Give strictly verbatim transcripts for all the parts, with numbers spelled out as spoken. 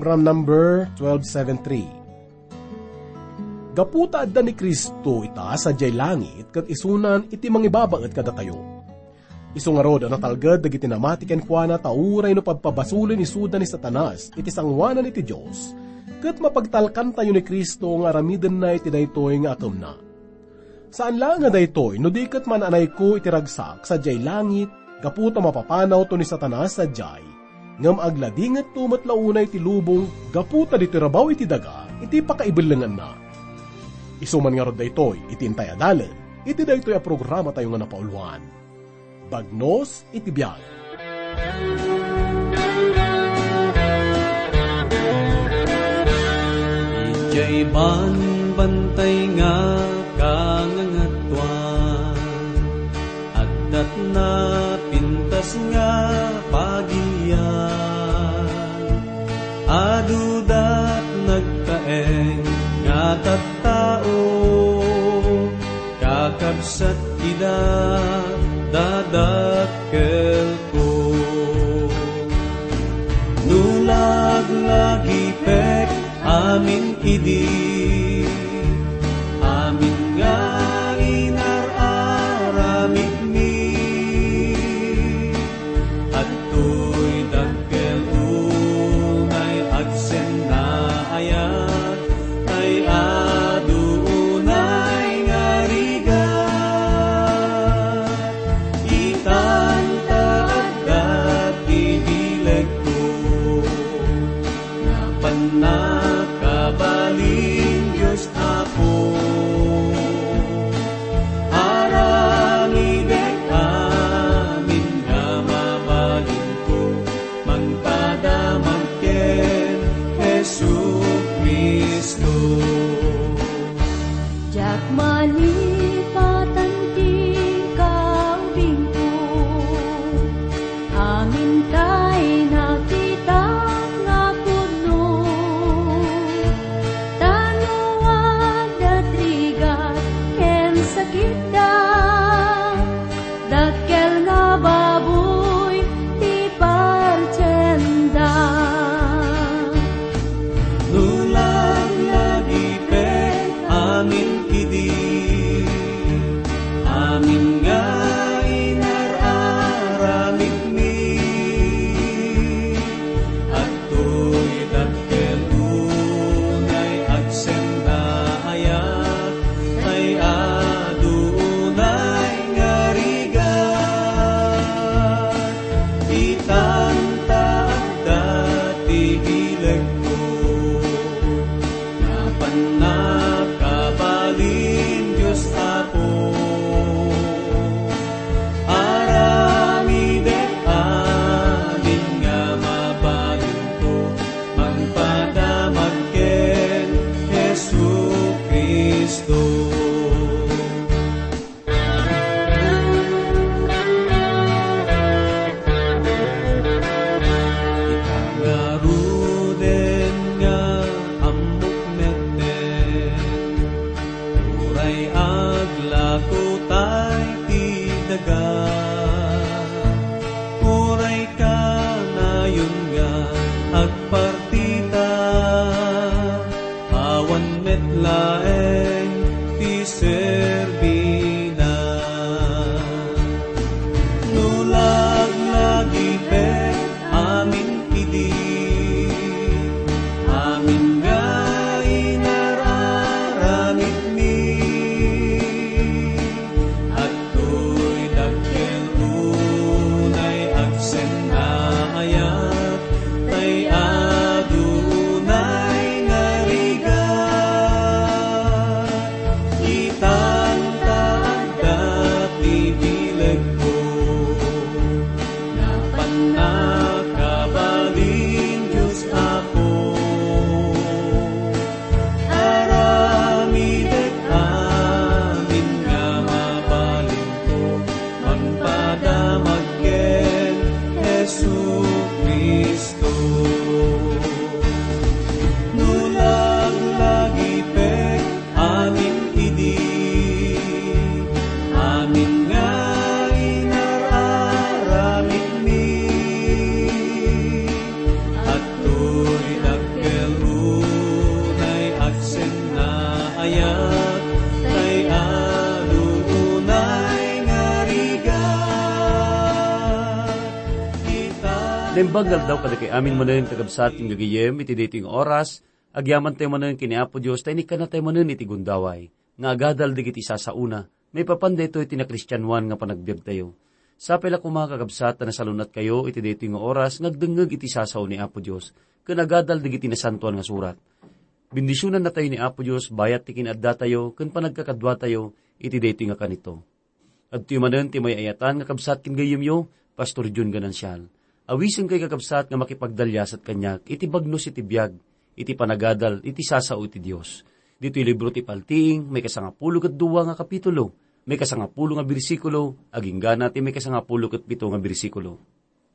Program number twelve seven three. Gapu ta adda ni Cristo ita sadiay langit ket isunan iti mangibabaet kadatayo. Isu ngarud a natalged dagiti namati kenkuana ta uray no pabpabasolen isuda ni Satanas iti sangoanan iti Dios, ket mapagtalkantayo ni Cristo nga aramidenna iti daytoy nga akemna. Saan laeng a daytoy no di ket man-anayko iti ragsak sadiay langit gapu ta mapapanawto ni Satanas sadiay, ngem agladingetto met la unay ti lubong gapu ta ditoy rabaw iti daga iti pakaibellenganna. Isu man ngarud daytoy iti intay a dalem iti daytoy a programatayo nga napauluan. Bagnos iti biag. Idiay banbantay nga kangangatuan, addat napintas nga pagilian. Adudat nagtaeng nga tattao, kakabsat ida dadakkelko. No laglagipek amin idi, amin nga inar-aramidmi, adtoy dakkel unay agsenna ayat, tay adu unay nga rigat. Itan ta adda ti bilegko, nga pannakabalin Dios Apo. Aramidek amin nga mabalinko, mangpadamag ken Jesu-Cristo. Diak malipatan ti kaubingko, amin tay nakitak nga pudno. Ta no adda ti rigat ken sakitda, dakkel nga baboy ti partienda. No laglagipek amin idi, amin nga inar-aramidmi, adtoy dakkel unay agsenna ayat, tay adu unay nga rigat. Itan ta adda ti bilegko, nga pannakabalin Dios Apo. Aramidek amin nga mabalinko, mangpadamag ken Jesu-Cristo. Ita ngaruden nga ammok metten, uray aglako tay ti daga, uray kanayon nga agpartita, awan met laeng ti serbina. No laglagipek amin idi, amin nga inar-aramidmi, adtoy dakkel unay agsenna ayat, tay adu unay nga rigat. Ita Ayat, tay adu, tunay nga rigat. Kita. Naimbag nga aldaw kadagiti amin manen, kakabsat ken gagayyem, iti daytoy nga oras, agyamantayo manen ken ni Apo Dios, ta inikkanatayo manen iti gundaway nga agadal dagiti sasaona, maipapan daytoy ti nakristianoan nga panagbiagtayo. Sapay la koma, kakabsat, ta nasalun-atkayo iti daytoy nga oras nga agdengngeg iti sasao ni Apo Dios ken agadal dagiti nasantoan nga surat. Bendisionannatayo ni Apo Dios bayat ti kin-addatayo ken panagkakaduatayo iti daytoy nga kanito. Adtoy manen ti may-ayatan nga kabsat ken gayyemyo, Pastor Jun Ganancial. Awisenkayo, kakabsat, nga makipagdaliasat kaniak iti bagnos iti biag, iti panagadal, iti sasao iti Dios. Ditoy libro ti Paltiing, maikasangapulo ket dua nga kapitulo, maikasangapulo nga bersikulo, aginggana ti maikasangapulo ket pito nga bersikulo.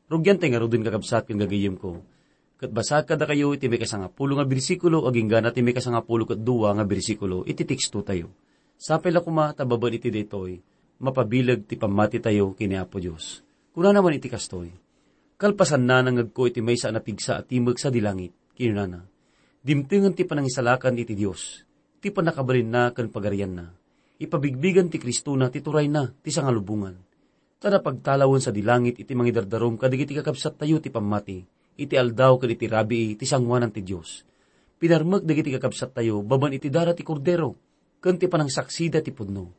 Rugiantay ngaruden, kakabsat ken gagayyemko, ket basaek kadakayo iti maikasangapulo nga bersikulo aginggana ti maikasangapulo ket dua nga bersikulo iti tekstotayo. Sapay la koma ta babaen iti daytoy, mapabileg ti pammatitayo ken ni Apo Dios. Kunana man iti kastoy, "Kalpasanna, nangngegko iti maysa a napigsa a timek sadi langit," kinunana. Dimtengen ti panangisalakan iti Dios, ti pannakabalinna ken pagarianna. Ipabigbigen ti Cristona ti turayna, ti sangalubongan. Ta napagtalawen sadi langit iti mangidardarum kadagiti kakabsattayo ti pammati, iti aldaw ken iti rabii ti sangoanan ti Dios. Pinarmek dagiti kakabsattayo babaen iti dara ti Kordero, ken ti panangsaksida ti pudno.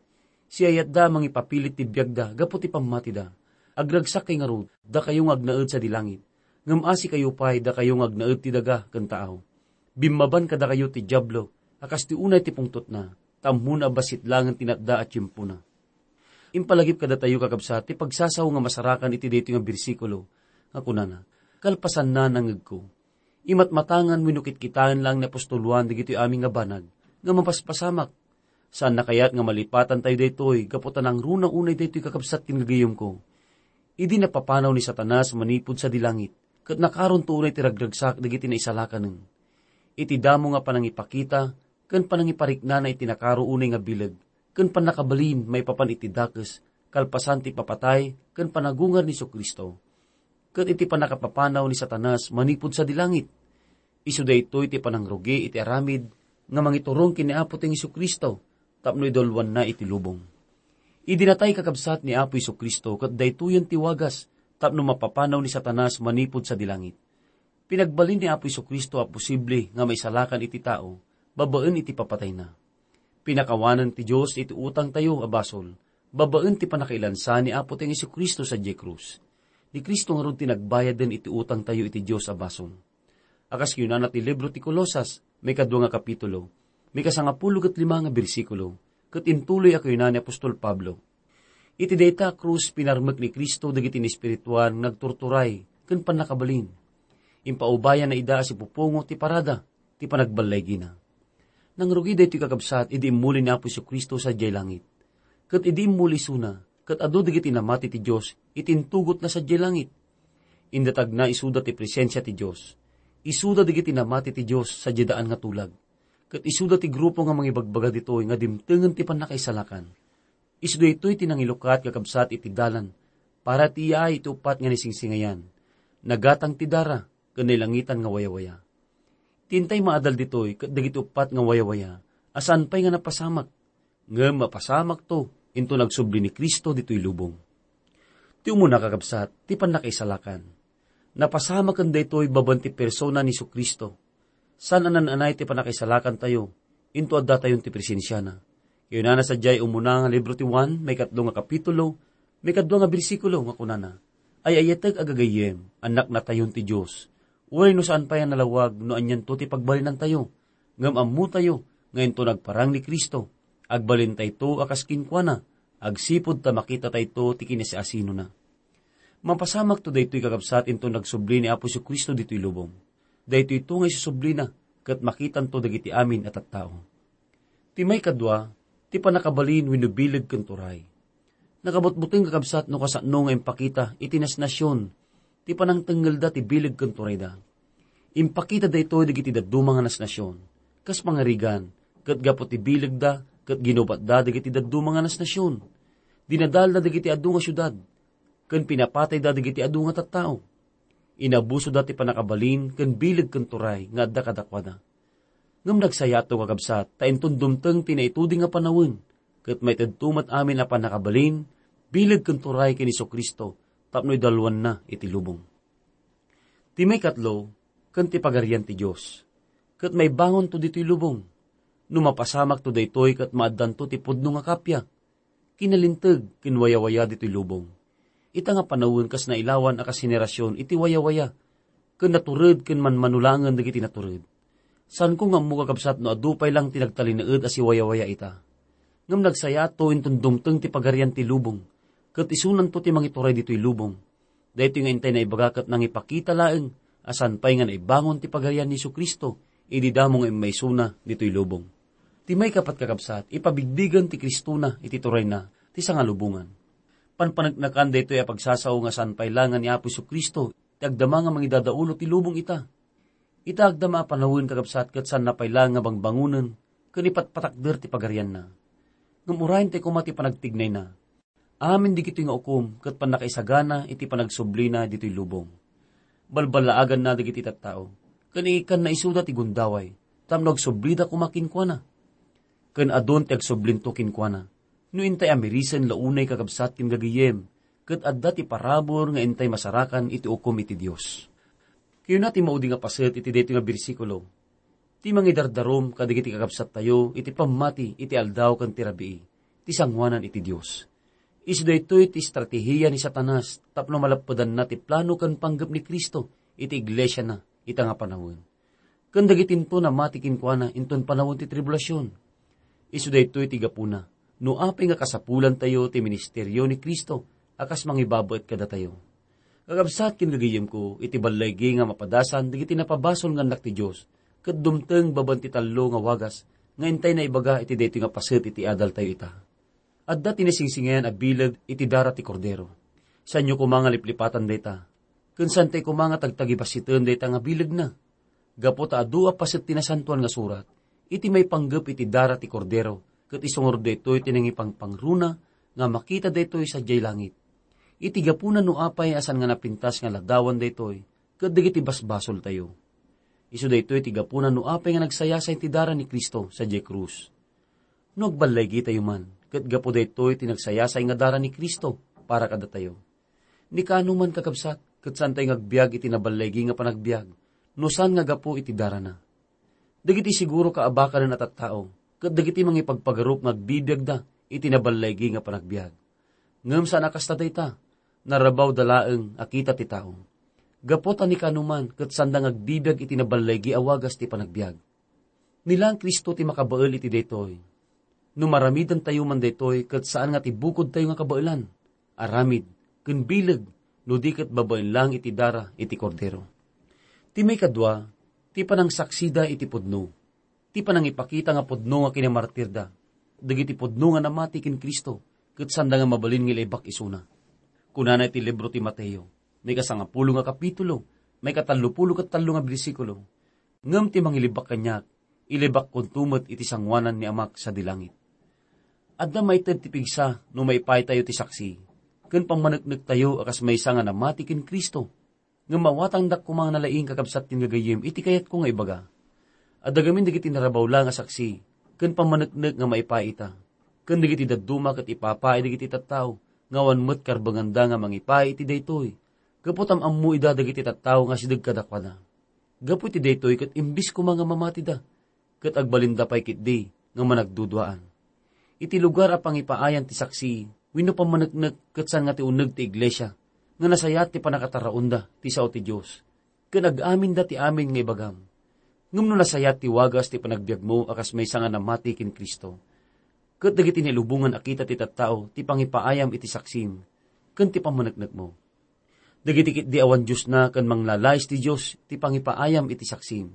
Siayatda a mangipapilit ti biagda gapu ti pammatida. Agragsakkay ngarud, dakayo nga agnaed sadi langit, ngem asikayo pay, dakayo nga agnaed ti daga ken taaw. Bimmaban kadakayo ti Diablo a kas ti unay ti pungtotna, ta ammona a bassit laengen ti natda a tiempona. Impalagip kadatayo, kakabsat, ti pagsasao nga masarakan iti daytoy nga bersikulo nga kunana, "Kalpasanna, nangngegko." Imatmatangan wenno kitkitaen laeng ni apostol Juan dagitoy amin nga banag nga mapaspasamak. Saanna kayat nga malipatantayo daytoy gapu ta nangruna unay daytoy, kakabsat ken gagayyemko. Idi napapanaw ni Satanas manipud sadi langit, ket nakaronto unay ti ragragsak dagiti naisalakanen. Iti damo nga panangipakita ken panangipariknana iti nakaro unay nga bileg ken pannakabalin maipapan iti dakes kalpasan ti ipapatay ken panagungar ni Jesu-Cristo, ket iti pannakapapanaw ni Satanas manipud sadi langit. Isu daytoy ti panangrugi iti aramid nga mangiturong ken ni Apo ti Jesu-Cristo tapno idalwanna iti lubong. Idi natay, kakabsat, ni Apo Jesu-Cristo, ket daytoyen ti wagas tapno mapapanaw ni Satanas manipud sadi langit. Pinagbalin ni Apo Jesu-Cristo a posible nga maisalakan iti tao babaen iti papatayna. Pinakawanen ti Dios iti utangtayo a basol babaen ti pannakailansa ni Apo ti Jesu-Cristo sadiay krus. Ni Cristo ngarud ti nagbayaden iti utangtayo iti Dios a basol. A kas kinunana ti libro ti Colosas, maikadua nga kapitulo, maikasangapulo ket lima nga bersikulo, ket intuloy a kinuna ni apostol Pablo, "Iti dayta a krus, pinarmek ni Cristo dagiti naespirituan nga agturturay ken pannakabalin. Impaubayanna ida a sipupungo ti parada ti panagballaygina." Nangrugi daytoy, kakabsat, idi immuli ni Apo Jesu-Cristo sadiay langit. Ket idi immuli isuna, ket adu dagiti namati ti Dios iti intugotna sadiay langit. Indatagna isuda ti presensia ti Dios. Isuda dagiti namati ti Dios sadiay daan nga tulag. Ket isuda ti grupo nga mangibagbaga ditoy nga dimtengen ti pannakaisalakan. Isu daytoy ti nangilukat nga kabsat iti dalan para ti iyaay iti uppat nga naisingsingayan. Nagatang ti dara ken nailangitan nga wayawaya. Ti intay maadal ditoy ket dagiti uppat nga wayawaya a saan pay nga napasamak, ngem mapasamakto inton agsubli ni Cristo ditoy lubong. Ti umuna, kakabsat, ti pannakaisalakan. Napasamaken daytoy babaen ti persona ni Jesu-Cristo. Saan a naan-anay ti pannakaisalakantayo, into addatayon ti presensiana. Kinunana sadiay umuna nga libro ti Juan, maikatlo nga kapitulo, maikadua nga bersikulo nga kunana, "Ay-ayatek a gagayyem, annaknatayon ti Dios. Uray no saan pay a nalawag no anianto ti pagbalinantayo, ngem ammotayo nga inton nagparang ni Cristo, agbalintayto a kas kenkuana, agsipud ta makitatayto ti kinasiasinona." Mapasamakto daytoy, kakabsat, inton nagsubli ni Apo Jesu-Cristo ditoy lubong. Daytoyto nga isusublina, ket makitanto dagiti amin a tattao. Ti maikadua, ti pannakabalin wenno bileg ken turay. Nakabutbuteng, kakabsat, no kasano nga impakita iti nasnasion ti panangtengngelda ti bileg ken turayda. Impakita daytoy dagiti dadduma nga nasnasion, kas pangarigan, ket gapu ti bilegda ket ginubatda dagiti dadduma nga nasnasion. Dinadalda dagiti adu nga siudad, ken pinapatayda dagiti adu nga tattao. Inabusoda ti pannakabalin ken bileg ken turay nga adda kadakuada. Ngem nagsayaatto, kakabsat, ta inton dumteng ti naitudi nga panawen, ket maitedto met amin a pannakabalin, bileg ken turay ken Jesu-Cristo tapno idalwanna iti lubong. Ti maikatlo, ken ti Pagarian ti Dios, ket maibangonto ditoy lubong. No mapasamakto daytoy ket maaddanto ti pudno nga kappia, kinalinteg ken wayawaya ditoy lubong. Ita nga panawen kas nailawan a kas henerasion iti wayawaya, ken natured ken manmanulangen dagiti natured. Saanko nga ammo, kakabsat, no adu pay lang ti nagtalinaed a siwayawaya ita. Ngem nagsayaatto inton dumteng ti Pagarian ti lubong, ket isunanto ti mangituray ditoy lubong. Daytoy nga intay naibaga ket nangipakita laeng a saan pay nga naibangon ti Pagarian ni Jesu-Cristo idi damo nga immaysona ditoy lubong. Ti maikapat, kakabsat, ipabigbigen ti Cristona iti turayna ti sangalubongan. Panpaneknekan daytoy a pagsasao nga saan pay la nga ni Apo Jesu-Cristo ti agdama nga mangidadaulo ti lubong ita. Ita agdama a panawen, kakabsat, ket saanna pay la nga bangbangonen ken ipatpatakder ti pagarianna. Ngem urayen tay koma ti panagtignayna. Amin dagitoy nga ukom ket pannakaisagana iti panagsublina ditoy lubong. Balballaaganna dagiti tattao, ken ikkanna isuda ti gundaway, tapno agsublida koma kenkuana. Ken adun ti agsublinto kenkuana, no intay amirisen la unay, kakabsat ken gagayem, ket adda ti parabur nga intay masarakan iti ukom iti Dios. Kayuna ti maudi nga paset iti daytoy nga bersikulo. Ti mangidardarum kadagiti kakabsattayo iti pammati iti aldaw ken ti rabii, ti sangoanan iti Dios. Isu daytoy ti estrategia ni Satanas tapno malappedanna ti plano ken panggep ni Cristo iti iglesiana ita nga panawen, ken dagitinto namati kenkuana inton panawen ti tribulasion. Isu daytoy ti gapuna no apay nga kasapulantayo ti ministerio ni Cristo a kas mangibabaet kadatayo. Kakabsat ken gagayemko, iti ballaygi nga mapadasan dagiti napabasol nga annak ti Dios, ket dumteng babaen ti tallo nga wagas nga intay naibaga iti daytoy nga paset iti adaltayo ita. Adda ti nasingsingayan a bileg iti dara ti Kordero. Saanyo koma nga liplipatan dayta, ken saantay koma nga tagtagibasiten dayta nga bilegna. Gapu ta adu a paset ti Nasantoan nga Surat, iti maipanggep iti dara ti Kordero, ket isu ngarud daytoy ti nangipangpangruna nga makita daytoy sadiay langit. Iti gapuna no apay a saan nga napintas nga ladawan daytoy, ket dagiti basbasoltayo. Isu daytoy ti gapuna no apay nga nagsayasay ti dara ni Cristo sadiay krus. No agballaygitayo man, ket gapu daytoy ti nagsayasay nga dara ni Cristo para kadatayo. Ni kaano man, kakabsat, ket saantay nga agbiag iti naballaygi nga panagbiag, no saan nga gapu iti darana. Dagiti siguro kaabakanen a tattao, ket dagiti mangipagpagarup nga agbibiagda iti naballaygi nga panagbiag. Ngem saan a kasta dayta, narabawda laeng a kita ti tao. Gapu ta ni kaano man, ket saanda nga agbibiag iti naballaygi a wagas ti panagbiag. Ni laeng Cristo ti makabael iti daytoy. No maramidantayo man daytoy, ket saan nga ti bukodtayo nga kabaelan, aramid, ken bileg, no di ket babaen lang iti dara iti Kordero. Ti maikadua, ti panangsaksida iti pudno. Ti panangipakita nga pudno nga kinamartirda, dagiti pudno nga namati ken Cristo, ket saanda nga mabalin nga ilaibak isuna. Kunana iti libro ti Mateo, maikasangapulo nga kapitulo, maikatallopulo ket tallo nga bersikulo, "Ngem ti mangilibak kaniak, ilibakkonto met iti sangoanan ni Amak sadi langit." Adda maited ti pigsa no maipaytayo ti saksi ken pammaneknektayo a kas maysa nga namati ken Cristo. Ngem mawatangdak koma nga nalaing, kakabsat ken gagayyem, iti kayatko nga ibaga. Adda gamin dagiti narabaw la nga saksi ken pammaneknek nga maipay ita, ken dagiti dadduma ket ipapay dagiti tattao nga awan met karbenganda nga mangipay iti daytoy, gapu ta am-ammo ida dagiti tattao nga asideg kadakuada. Gapu iti daytoy ket imbis koma nga mamatida, ket agbalinda pay ketdi nga managduduaan. Iti lugar a pangipaayan ti saksi wenno pammaneknek ket saan nga ti uneg ti iglesia nga nasayaat ti pannakataraonda ti sao ti Dios, ken ag-aminda ti amin nga ibagam. Ngem no nasayaat ti wagas ti panagbiagmo a kas maysa nga namati ken Cristo, ket dagiti nailubongan a kita ti tattao ti pangipaayam iti saksim ken ti pammaneknekmo. Dagiti ketdi awan Diosna ken manglalais ti Dios ti pangipaayam iti saksim,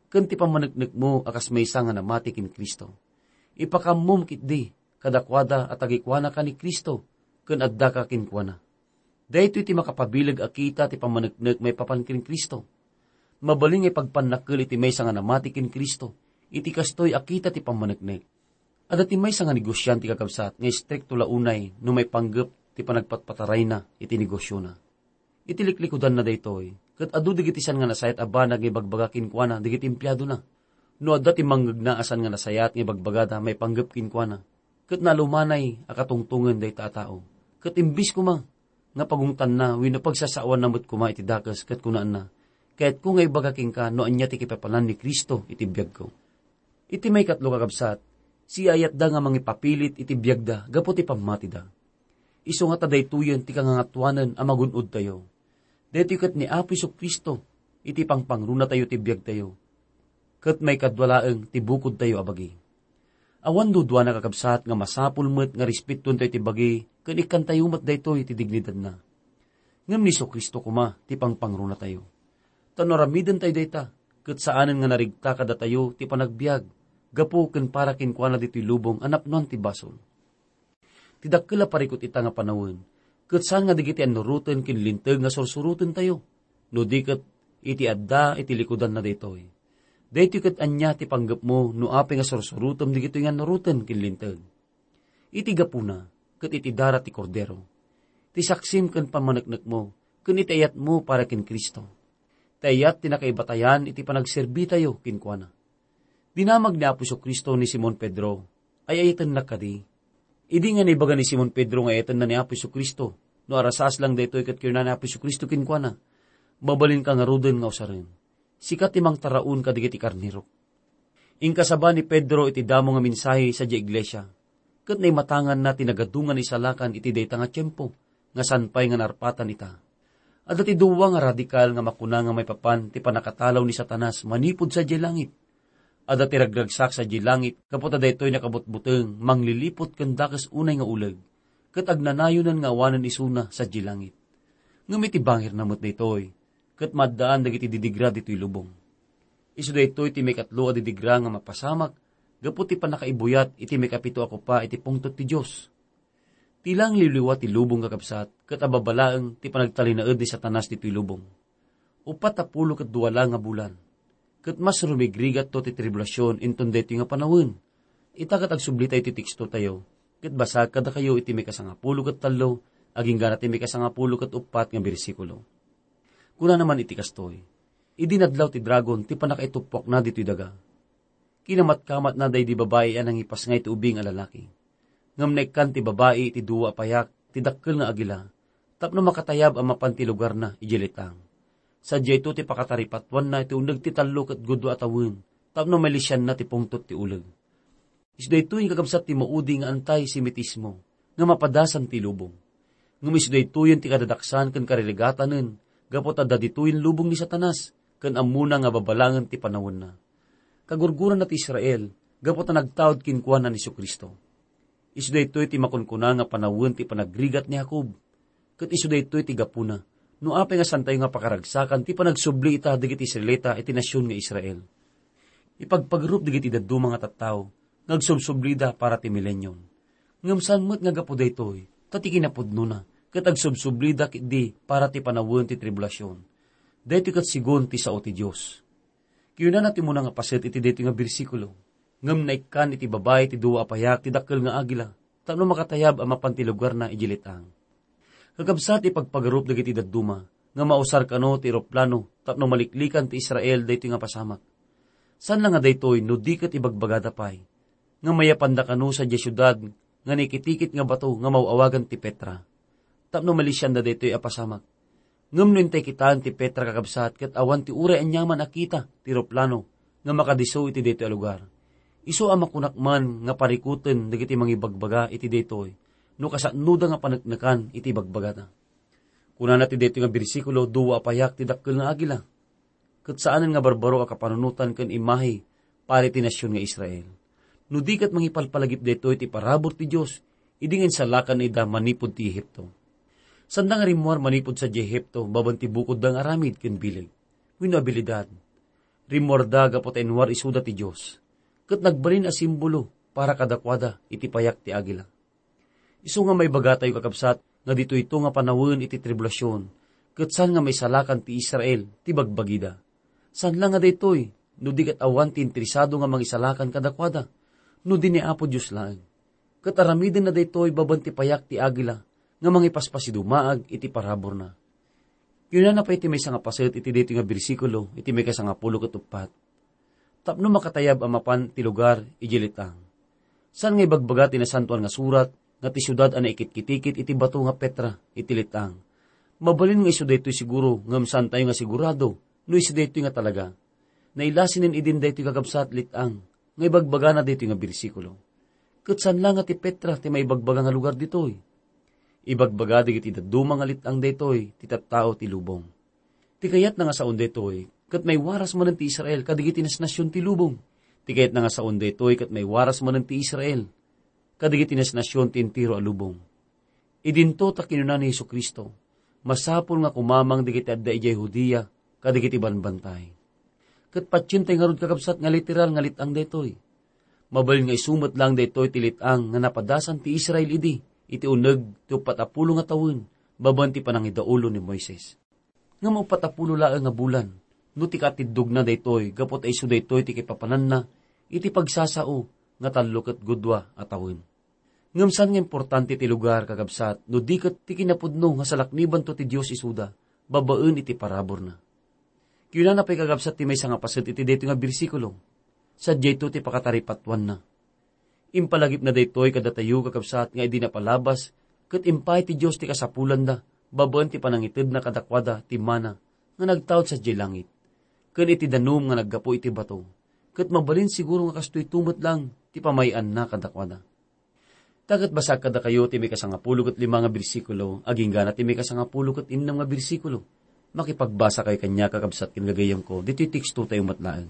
ken ti pammaneknekmo a kas maysa nga namati ken Cristo. Ipakammom ketdi kadakuada a tagikuanaka ni Cristo ken addaka kenkuana. Daytoy ti makapabileg a kita ti pammaneknek maipapan ken Cristo. Mabalin nga ipagpannakkel iti maysa nga namati ken Cristo iti kastoy a kita ti pammaneknek. Adda ti maysa nga negosiante, kakabsat, nga istrikto la unay no maipanggep ti panagpatpatarayna iti negosiona. Iti liklikudanna daytoy, ket adu dagiti saan nga nasayaat a banag nga ibagbaga kenkuana dagiti empleadona. No adda ti mangngegna a saan nga nasayaat nga ibagbagada maipanggep kenkuana, ket nalumanay a katungtongen dayta a tao, ket imbes koma nga pagungtanna wenno pagsasaoanna met koma iti dakes ket kunaanna, "Kayatko nga ibaga kenka no ania ti kipapanan ni Cristo iti biagko." Iti maikatlo, kakabsat, siayatda nga mangipapilit iti biagda gapu ti pammatida. Isu nga ta daytoyen ti kangangatuanen a magun-odtayo. Daytoy ket ni Apo Jesu-Cristo iti pangpangrunatayo ti biagtayo, ket maikadua laeng ti bukodtayo a bagi. Awan duduana, kakabsat, nga masapul met nga respetuentayo ti bagi ken ikkantayo met daytoy ti dignidadna. Ngem ni Jesu-Cristo koma ti pangpangrunatayo. Ta no aramidentayo dayta, ket saanen nga narigta kadatayo ti panagbiag gapu ken para kenkuana ditoy lubong a napnoan ti basol. Ti dakkel a parikut ita nga panawen, ket saan nga dagiti annuroten ken linteg nga sursurotentayo, no di ket iti adda iti likudanna daytoy. Daytoy ket ania ti panggepmo no apay nga sursurotem dagitoy nga annuroten ken linteg? Iti gapuna, ket iti dara ti Kordero, ti saksim ken pammaneknekmo, ken iti ayatmo para ken Cristo. Ti ayat ti nakaibatayan iti panagserbitayo kenkuana. Dinamag ni Apo Jesu-Cristo ni Simon Pedro, "Ay-ayatennak kadi?" Idi nga naibaga ni Simon Pedro nga ayatenna ni Apo Jesu-Cristo, no arasas lang daytoy ket kinuna ni Apo Jesu-Cristo kenkuana, "Mabalinka ngaruden nga usaren. Sika ti mangtaraon kadagiti karnerok." Inkasaba ni Pedro iti damo nga mensahe sadiay iglesia, ket naimatanganna ti nagadungan isalakan iti dayta nga tiempo nga saan pay nga narpatan ita. Adda ti dua nga radikal nga makuna nga maipapan ti pannakatalaw ni Satanas manipud sadiay langit. Adda ti ragragsak sadiay langit gapu ta daytoy nakabutbuteng, mangliliput ken dakes unay nga uleg, ket agnanayonen nga awanen isuna sadiay langit. Ngem iti bangirna met daytoy, ket maaddaan dagiti didigra ditoy lubong. Isu daytoy ti maikatlo a didigra nga mapasamak gapu ti pannakaibuyat iti maikapito a kopa iti pungtot ti Dios. Ti langliwliwa ti lubong, kakabsat, ket ababa laeng ti panagtalinaed ni Satanas ditoy lubong. Uppat a pulo ket dua la nga bulan, ket mas rumigrigatto ti tribulasion inton daytoy nga panawen. Ita ket agsublitayo ti tekstotayo, ket basag kadakayo iti maikasangapulo ket tallo, agingga na ti maikasangapulo ket uppat nga bersikulo. Kunana man iti kastoy, "Idi nadlaw ti dragon ti pannakaituppuakna ditoy daga, kinamatkamatna daydi babai a nangipasngay ti ubing a lalaki. Ngem naikkan ti babai iti dua a payak ti dakkel nga agila tapno makatayab a mapan ti lugarna idiay letang. Sadiayto ti pakataripatuanna iti uneg ti tallo ket gudua a tawen tapno malisianna ti pungtot ti uleg." Isu daytoy nga kakabsat ti maudi nga anti-Semitismo nga mapadasan ti lubong. Ngem isu daytoyen ti kadadaksan ken karirigatanen gapu ta adda ditoyen lubong ni Satanas ken ammona nga babalangen ti panawenna. Kagurguranna ti Israel gapu ta nagtaud kenkuana ni Jesu-Cristo. Isu daytoy ti makunkuna nga panawen ti panagrigat ni Jacob. Ket isu daytoy ti gapuna no apay nga saantayo nga pakaragsakan ti panagsubli ita dagiti Israelita iti nasion nga Israel. Ipagpagarup dagiti dadduma nga tattao nga agsubsublida para ti milenium. Ngem saan met nga gapu daytoy, ta ti kinapudnona, ket agsubsublida ketdi para ti panawen ti tribulasion. Daytoy ket segun ti sao ti Dios. Kinunana ti umuna nga paset iti daytoy nga bersikulo, "Ngem naikkan iti babai ti dua a payak ti dakkel nga agila, tapno makatayab a mapan ti lugarna idiay letang." Kakabsat, ipagpagarup dagiti dadduma nga mausar kano ti eroplano tapno maliklikan ti Israel daytoy nga pasamak. Saan la nga daytoy no di ket ibagbagada pay nga mayapanda kano sadiay siudad nga naikitikit nga bato nga maw-awagan ti Petra, tapno malisianda daytoy a pasamak. Ngem no intay kitaen ti Petra, kakabsat, ket awan ti uray aniaman a kita ti eroplano nga makadisso iti daytoy a lugar, isu a makunak man nga parikuten dagiti mangibagbaga iti daytoy no kasanoda nga paneknekan iti ibagbagada. Kunana ti daytoy nga bersikulo, "Dua a payak ti dakkel nga agila." Ket saanen nga barbaro a kapanunotan ken imahe para iti nasion nga Israel. No di ket mangipalpalagip daytoy ti parabur ti Dios idi nga insalakanna ida manipud ti Ehipto. Sanda nga rimmuar manipud sadiay Ehipto babaen ti bukodda nga aramid ken bileg wenno abilidad. Rimmuarda gapu ta inwar isuda ti Dios, ket nagbalin a simbolo para kadakuada iti payak ti agila. Isu nga maibagatayo, kakabsat, nga ditoyto nga panawen iti tribulasion, ket saan nga maisalakan ti Israel ti bagbagida. Saan la nga daytoy, no di ket awan ti interesado nga mangisalakan kadakuada, no di ni Apo Dios laeng. Ket aramidenna daytoy babaen ti payak ti agila nga mangipaspasidumaag iti paraburna. Kinunana pay ti maysa nga paset iti daytoy nga bersikulo iti maikasangapulo ket uppat, tapno makatayab a mapan ti lugar idiay let-ang. Saan nga ibagbaga ti Nasantoan nga Surat nga ti siudad a naikitkitikit iti bato nga Petra iti let-ang. Mabalin nga isu daytoy siguro, ngem saantayo nga sigurado no isu daytoy nga talaga. Nailasinen idin daytoy, kakabsat, let-ang nga ibagbagana daytoy nga bersikulo. Ket saan la nga ti Petra ti maibagbaga nga lugar ditoy. Ibagbaga dagiti dadduma nga let-ang daytoy ti tattao ti lubong. Ti kayatna nga saon daytoy, ket maiwaras manen ti Israel kadagiti nasnasion ti lubong. Ti kayatna nga saon daytoy, ket maiwaras manen ti Israel kadagiti nasnasion ti entero a lubong. Idinto ta kinuna ni Jesu-Cristo, "Masapul nga kumamang dagiti adda idiay Judea kadagiti banbantay." Ket patientay ngarud, kakabsat, nga literal nga let-ang daytoy. Mabalin nga isu met laeng daytoy ti let-ang nga napadasan ti Israel idi iti uneg ti uppat a pulo nga tawen babaen ti panangidaulo ni Moises. Ngem uppat a pulo laeng nga bulan no ti katiddogna daytoy, gapu ta isu daytoy ti kipapananna iti pagsasao nga tallo ket gudua a tawen. Ngem saan nga importante ti lugar, kakabsat, no di ket ti kinapudno nga salaknibanto ti Dios isuda babaen iti paraburna. Kinunana pay, kakabsat, ti maysa nga paset iti daytoy nga bersikulo, sadiayto ti pakataripatoanna. Impalagipna daytoy kadatayo, kakabsat, nga idi napalabas, ket impaay ti Dios ti kasapulanda babaen ti panangitedna kadakuada ti mana nga nagtaud sadiay langit, ken iti danum nga naggapu iti bato, ket mabalin siguro nga kastoyto met laeng ti pamay-anna kadakuada. Ta ket basaek kadakayo ti maikasangapulo ket lima nga bersikulo, agingga ti maikasangapulo ket innem nga bersikulo. Makipagbasakayo kaniak, kakabsat ken gagayyemko, ditoy tekstotayo met laeng.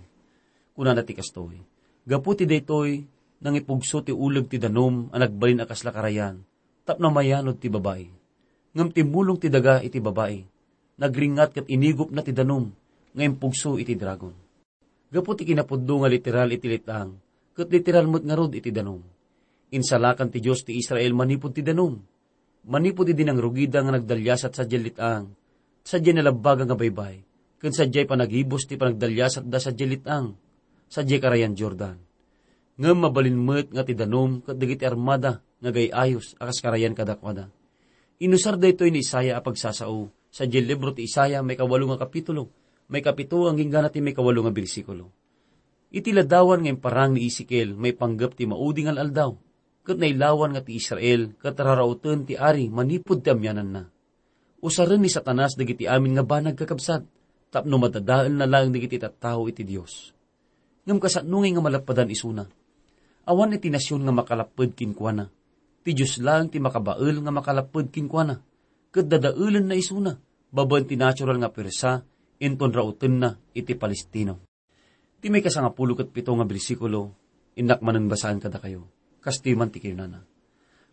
Kunana ti kastoy, "Gapu ti daytoy, nangipugso ti uleg ti danum a nagbalin a kasla karayan, tapno mayanod ti babai. Ngem timmulong ti daga iti babai, nagringngat ket inigupna ti danum nga impugso iti dragon." Gapu ti kinapudno nga literal iti let-ang, ket literal met ngarud iti danum. Insalakan ti Dios ti Israel manipud ti danum. Manipud idi nangrugida nga nagdaliasat sadiay let-ang, sadiay nalabbaga nga baybay, ken sadiay panagibus ti panagdaliasatda sadiay let-ang, sadiay karayan Jordan. Ngem mabalin met nga ti danum ket dagiti armada nga agay-ayos a kas karayan kadakuada. Inusar daytoy ni Isaiah a pagsasao, sadiay libro ti Isaiah, maikawalo nga kapitulo, maikapito agingga ti maikawalo nga bersikulo. Iti ladawan nga imparang ni Ezekiel, maipanggep ti maudi nga al-aldaw, ket nailawan nga ti Israel ket rarauten ti ari manipud ti amiananna. Usaren ni Satanas dagiti amin nga banag, kakabsat, tapno madadaelna laeng dagiti tattao iti Dios. Ngem kasano ngay nga malappedan isuna? Awan iti nasion nga makalapped kenkuana. Ti Dios laeng ti makabael nga makalapped kenkuana, ket dadaelenna isuna babaen ti natural nga puersa inton raotenna iti Palestino. Ti maikasangapulo ket pito nga bersikulo, innak manen basaen kadakayo. Kastoy man ti kinunana,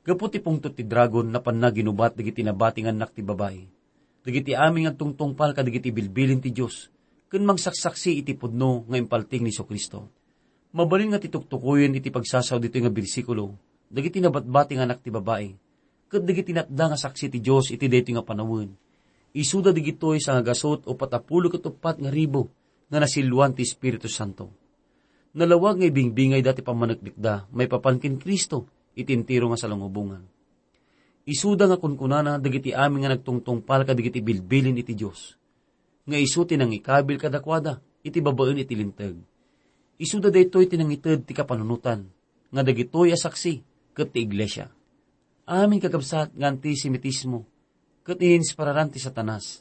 "Gapu ti pungtot ti dragon, napanna ginubat dagiti nabatingannak ti babai, dagiti amin nga agtungtungpal kadagiti bilbilin ti Dios, ken mangsaksaksi iti pudno nga impaltiing ni Jesu-Cristo." Mabalin nga ti tuktukoyen iti pagsasao ditoy nga bersikulo, dagiti nabatbatingannak ti babai, ket dagiti natda nga saksi ti Dios iti daytoy nga panawen. Isuda dagitoy sangagasut uppat a pulo ket uppat nga ribu nga nasilluan ti Espiritu Santo. Nalawag nga ibingbingayda ti pammaneknekda maipapan ken Cristo iti entero nga salungubongan. Isuda nga kunkunana dagiti amin nga nagtungtungpal kadagiti bilbilin iti Dios, nga isu ti nangikabil kadakuada iti babaen iti Linteg. Isuda daytoy ti nangited ti kapanunotan nga dagitoy a saksi ket ti iglesia. Amin, kakabsat, nga antisemitismo ket ininspiraran ti Satanas.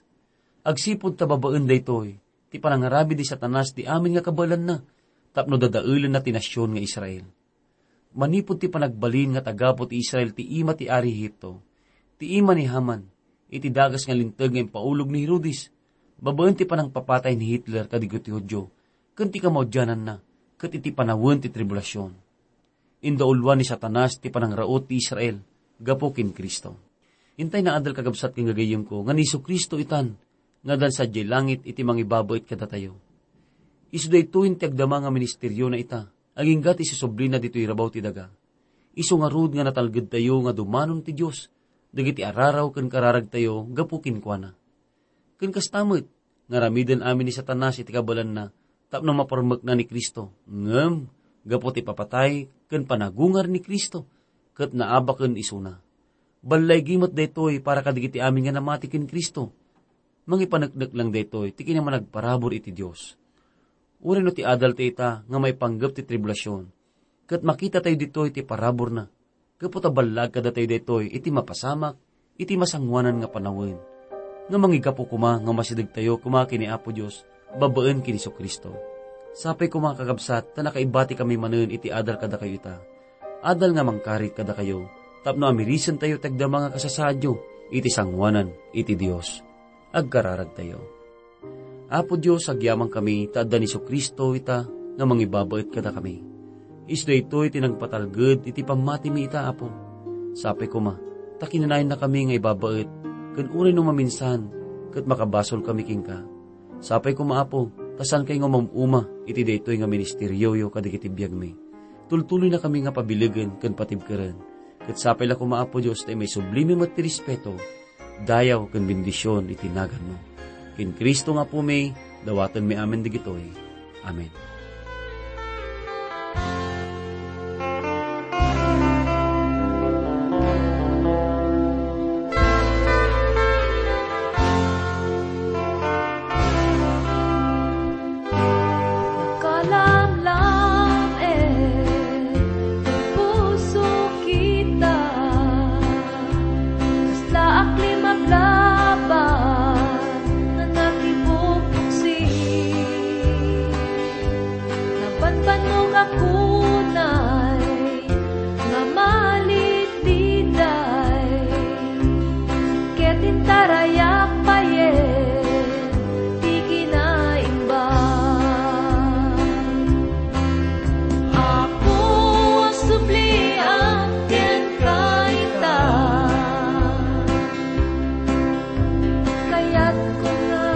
Agsipud ta babaen daytoy ti panangaramid ni Satanas ti amin nga kabaelanna tapno dadaelenna ti nasion nga Israel. Manipud ti panagbalin nga tagabu ti Israel ti ima ti ari Egipto, ti ima ni Haman, iti dakes nga linteg nga impaulog ni Herodes, babaen ti panangpapatay ni Hitler kadagiti Judio, ken ti kamaudiananna, ket iti panawen ti tribulasion. Indauluan ni Satanas ti panangraot ti Israel gapu ken Cristo. Intay naadal, kakabsat ken gagayyemko, nga ni Jesu-Cristo itan nga addan sadiay langit iti mangibabait kadatayo. Isu daytoy ti agdama nga ministeriona ita, agingga ti isusublina ditoy rabaw ti daga. Isu ngarud nga natalgedtayo nga dumanon ti Dios dagiti araraw ken kararagtayo gapu kenkuana. Ken kasta met, nga aramiden amin ni Satanas iti kabaelanna tapno maparmekna ni Cristo, ngem gapu ti ipapatay ken panagungar ni Cristo, ket naabaken isuna. Ballaygi met daytoy para kadagiti amin nga namati ken Cristo. Mangipaneknek lang daytoy ti kinamanagparabur iti Dios. uray no ti adal ti ita nga maipanggep ti tribulasion, ket makitatayo ditoy ti paraburna. Gapu ta ballag kadatayo daytoy iti mapasamak, iti masangoanan nga panawen, nga mangigapu koma nga masidegtayo koma ken ni Apo Dios babaen ken ni Jesu-Cristo. Sapay koma, kakabsat, ta nakaibatikami manen iti adal kadakayo ita. Adal nga mangkarit kadakayo, tapno amirisentayo ti agdama nga kasasaadyo iti sangoanan iti Dios. Agkararagtayo. Apo Dios, agyamankami ta adda ni Jesu-Cristo ita nga mangibabaet kadakami. Isu daytoy ti nagpatalged iti pammatimi ita, Apo. Sapay koma, ta kinanayannakami nga ibabaet, ken uray no maminsan, ket makabasolkami kenka. Sapay koma, Apo, ta saankay nga umam-uma iti daytoy nga ministerioyo kadagiti biagmi. Tultuloynakami nga pabilegen ken patibkeren. Ket sapay la koma, Apo Dios, ta imaisublimi met ti respeto, dayaw ken bendision iti naganmo. Ken Cristo nga Apumi, dawatenmi amin dagitoy. Amen. Nakalamlam, eh, ti puso kita. Kasla aklim aglaban nga nakibubuksi. Nabanbannog a kunay nga malididay. Ket intarayak payen ti kinaimbag. Apo, agsubliak kenka ita. Kayatko nga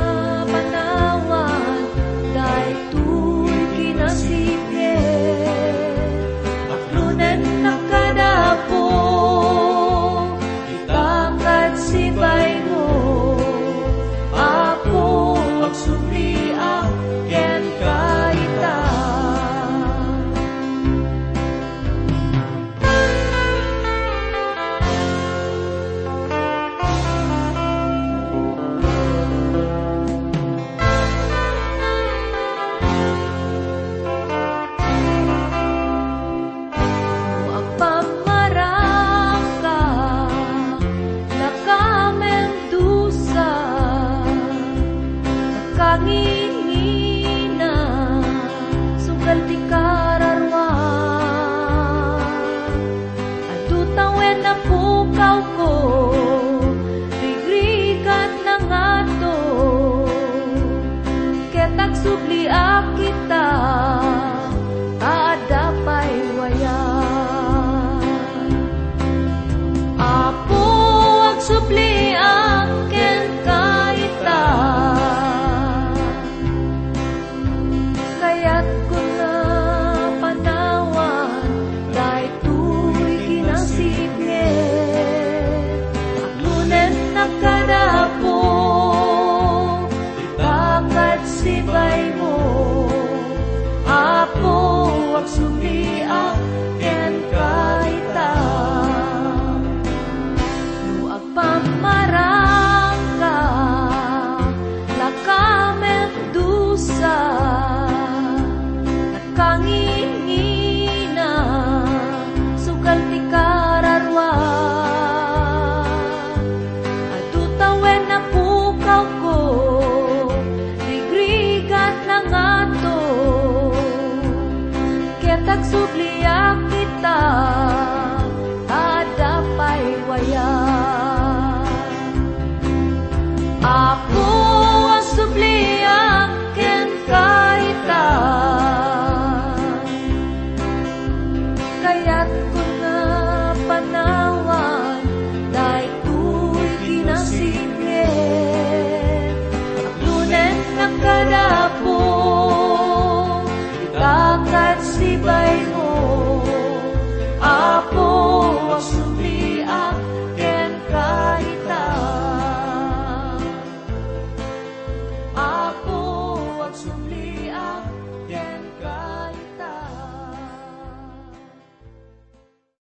panawan daytoy kinasipnget. Aklonennak kada Apo, ita ket sibaymo. Apo, agsubliak kenka ita. No agpammarangka, lakamen dusa, nakangingina, sugal ti kararuan. Adu tawen a pukawko,